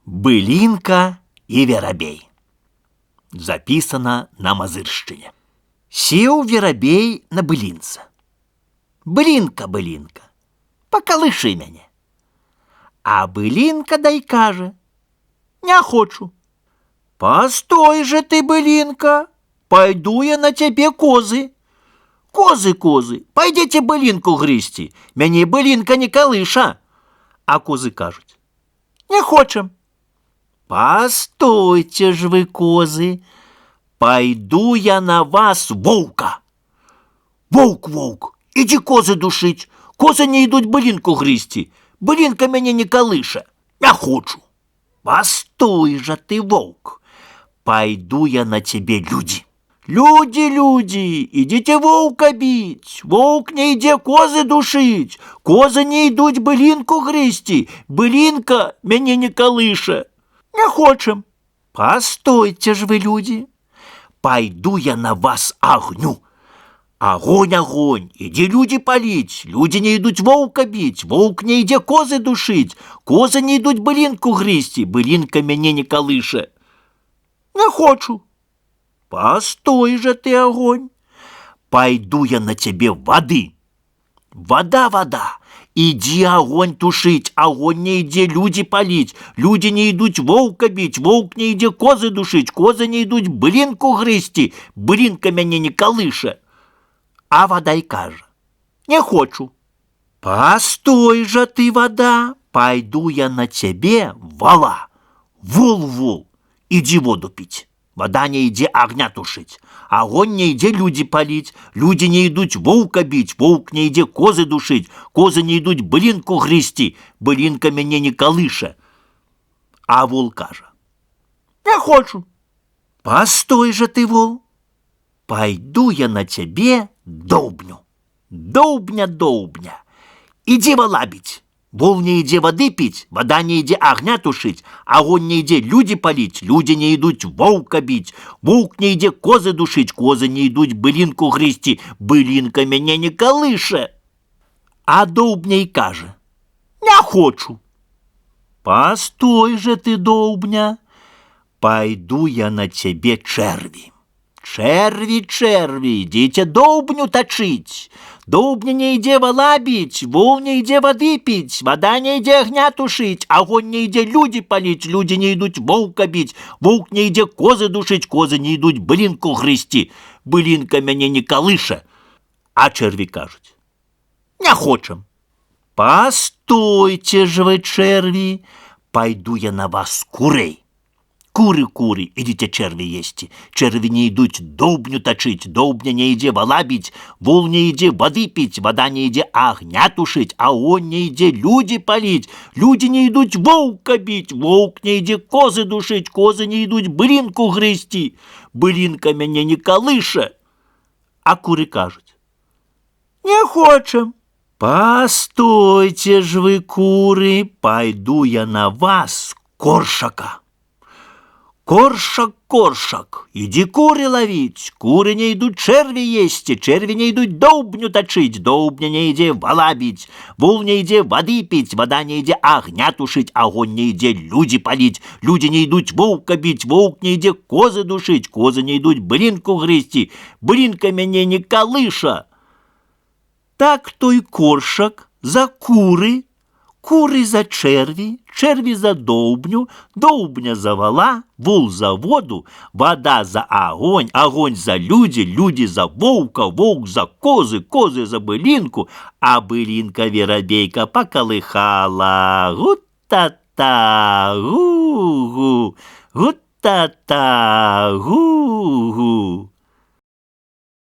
Былинка и верабей. Записано на Мазыршчыне. Сеў верабей на былінца. Былинка, былинка, поколыши мяне. А былинка дай кажа: не хочу. Постой же ты, былинка, пойду я на тебе козы. Козы, козы, пойдите былинку грызти, мяне былинка не колыша. А козы кажуть: не хочем. Постойте ж вы, козы, пойду я на вас волка. Волк, волк, иди козы душить, козы не идут былинку грызти, былинка мяне не колыша, не хочу. Постой же ты, волк, пойду я на тебе люди. Люди, люди, идите волка бить, волк не иде козы душить, козы не идут былинку грызти, былинка мяне не колыша. Не хочем. Постойте ж вы, люди, пойду я на вас огню. Огонь, огонь, иди люди палить, люди не идут волка бить, волк не иде козы душить, козы не идут былинку грызти, былинка мяне не колыша. Не хочу. Постой же ты, огонь, пойду я на тебе воды. Вода, вода, иди огонь тушить, огонь не иди люди палить, люди не идут волка бить, волк не иди козы душить, козы не идут былинку грызти, былинка мяне не колыша. А вода и кажа: не хочу. Постой же ты, вода, пойду я на тебе вола. Вол, вол, иди воду пить. Вода не иди огня тушить, огонь не иди люди палить, люди не идут волка бить, волк не иди козы душить, козы не идут былинку грызти, былинка мяне не колыша. А вол кажа: не хочу. Постой же ты, вол, пойду я на тебе долбню. Долбня, долбня, иди вола бить. Вол не иди воды пить, вода не иди огня тушить, огонь не иди люди палить, люди не идут волка бить, волк не иди козы душить, козы не идут былинку грызти, былинка мяне не колыша. А долбня и каже: не хочу. Постой же ты, долбня, пойду я на тебе черви. Черви, черви, идите долбню точить. Долбня не иди вола бить, вол не иди воды пить, вода не иди огня тушить, огонь не иди люди палить, люди не идут волка бить, волк не иди козы душить, козы не идут былинку грызти, былинка мяне не колыша. А черви кажуть: не хочем. Постойте же вы, черви, пойду я на вас курей. Куры, куры, идите черви есть. Черви не идут долбню точить, долбня не иди вола бить, вол не иди воды пить, вода не иди огня тушить, огонь не иди люди палить, люди не идут волка бить, волк не иди козы душить, козы не идут былинку грызти, былинка мяне не колыша. А куры кажуть: не хочем. Постойте ж вы, куры, пойду я на вас коршака. Коршак, коршак, иди куры ловить, куры не идут черви есть, черви не идут долбню точить, долбня не иди вола бить, вол не иди воды пить, вода не иди огня тушить, огонь не иди люди палить, люди не идут волка бить, волк не иди козы душить, козы не идут былинку грызти, былинка мяне не колыша. Так той коршак за куры, куры за черви, черви за долбню, долбня за вола, вол за воду, вода за огонь, огонь за люди, люди за волка, волк за козы, козы за былинку, а былинка верабейка поколыхала. Гу-та-та, гу-гу, гу-та-та, гу-гу.